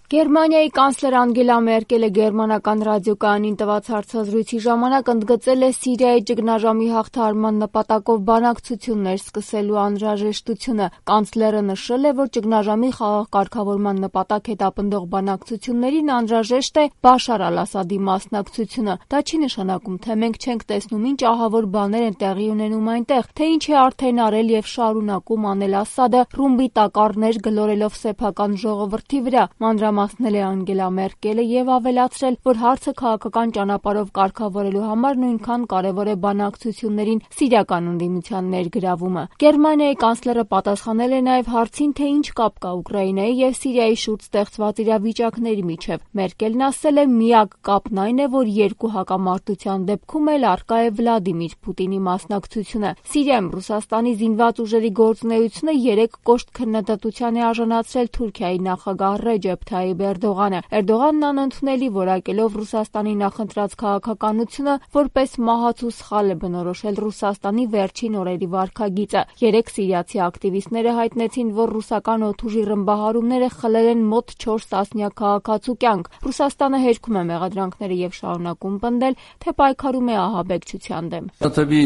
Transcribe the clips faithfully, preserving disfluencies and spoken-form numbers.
Գերմանիայի կանցլեր Անգելա Մերկելը գերմանական ռադիոկայանին տված հարցազրույցի ժամանակ ընդգծել է Սիրիայի ճգնաժամի հաղթահարման նպատակով բանակցություններ սկսելու անհրաժեշտությունը։ Կանցլերը նշել է, որ ճգնաժամի խաղաղ կարգավորման նպատակ հետապնդող բանակցություններին անհրաժեշտ է Բաշար Ալ-Ասադի մասնակցությունը։ Դա չի նշանակում, թե մենք չենք տեսնում ինչ ահավոր բաներ են տեղի ունենում այնտեղ, թե ինչ է արդեն արել եւ շարունակում անել Ասադը ռումբի տակառներ գլորելով սեփական ժողովրդի վրա։ Մանրամասնել է Անգելա Մերկելը եւ ավելացրել, որ հարցը քաղաքական ճանապարհով կարգավորելու համար նույնքան կարեւոր է բանակցություններին սիրիական ընդդիմության ներգրավումը։ Գերմանիայի կանցլերը պատասխանել է նաեւ հարցին, թե ինչ կապ կա Ուկրաինայի եւ Սիրիայի շուրջ ստեղծված իրավիճակների միջեւ։ Մերկելն ասել է, միակ կապն այն է, որ երկու հակամարտության դեպքում էլ առկա է Վլադիմիր Պուտինի մասնակցությունը։ Սիրիայում Ռուսաստանի զինված ուժերի գործունեությունը երեք կոշտ քննադատության է արժանացրել Թուրքիայի նախագահ Ռեջեփ Թայիփ Էրդողանը։ Էրդողանն անընդունելի որակելով Ռուսաստանի նախընտրած քաղաքականությունը որպես մահացու սխալ է բնորոշել Ռուսաստանի վերջին օրերի վարքագիծը։ Երեք սիրիացի ակտիվիստները հայտնեցին, որ ռուսական օդուժի ռմբահարումները խլել են մոտ չորս տասնյակ քաղաքացու կյանք։ Ռուսաստանը հերքում է մեղադրանքները եւ շարունակում պնդել, թե պայքարում է ահաբեկչության դեմ։ Tabii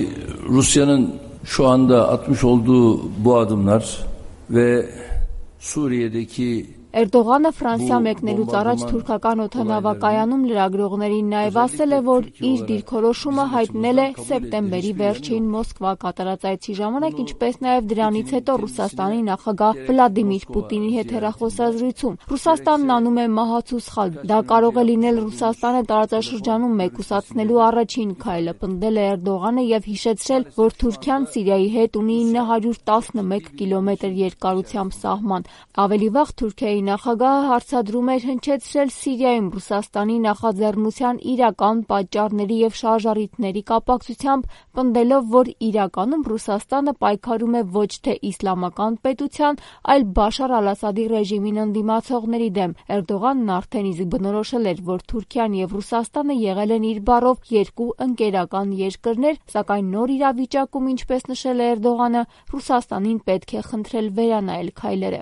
Rusya'nın şu anda atmış olduğu bu adımlar ve Suriye'deki Էրդողանը Ֆրանսիա մեկնելուց առաջ թուրքական օդանավակայանում լրագրողներին նաև ասել է, որ իր դիրքորոշումը հայտնել է սեպտեմբերի վերջին Մոսկվա կատարած այցի ժամանակ, ինչպես նաև դրանից հետո Ռուսաստանի նախագահ Վլադիմիր Պուտինի հետ հեռախոսազրույցում։ Ռուսաստանն անում է մահացու սխալ։ Դա կարող է լինել Ռուսաստանը տարածաշրջանում մեկուսացնելու առաջին քայլը, պնդել է Էրդողանը եւ հիշեցրել, որ Թուրքիան Սիրիայի հետ ունի ինը հարյուր տասնմեկ կիլոմետր երկարությամբ սահման։ Ավելի վաղ Թուրքիայի նախագահը հարցադրում էր հնչեցրել Սիրիայում Ռուսաստանի նախաձեռնության իրական պատճառների եւ շարժառիթների կապակցությամբ, պնդելով, որ իրականում Ռուսաստանը պայքարում է ոչ թե իսլամական պետության, այլ Բաշար Ալ-Ասադի ռեժիմին ընդդիմացողների դեմ։ Էրդողանն արդեն իսկ բնորոշել էր, որ Թուրքիան եւ Ռուսաստանը եղել են իր բառով երկու ընկերական երկրներ, սակայն նոր իրավիճակում, ինչպես նշել է Էրդողանը, Ռուսաստանին պետք է խնդրել վերանայել քայլերը։